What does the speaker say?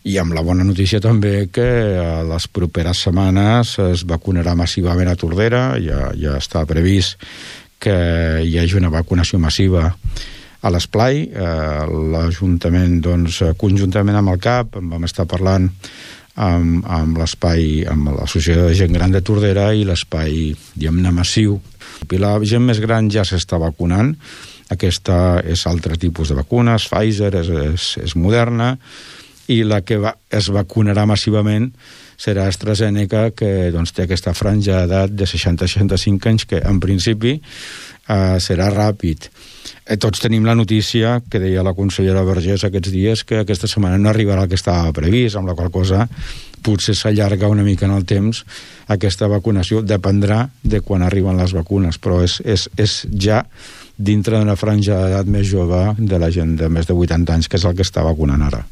I amb la bona notícia també que a les properes setmanes es vacunarà massivament a Tordera, ja està previst que hi hagi una vacunació massiva a l'Esplai. L'Ajuntament, doncs, conjuntament amb el CAP, vam estar parlant amb l'espai, amb l'Associació de Gent Gran de Tordera i l'espai, diguem-ne, massiu. I la gent més gran ja s'està vacunant. Aquesta és altre tipus de vacunes, Pfizer, és Moderna, i la que es vacunarà massivament serà AstraZeneca, que doncs, té aquesta franja d'edat de 60-65 anys, que en principi serà ràpid. Tots tenim la notícia que deia la consellera Vergés aquests dies, que aquesta setmana no arribarà el que estava previst, amb la qual cosa potser s'allarga una mica en el temps aquesta vacunació. Dependrà de quan arriben les vacunes, però és ja dintre d'una franja d'edat més jove de la gent de més de 80 anys, que és el que està vacunant ara.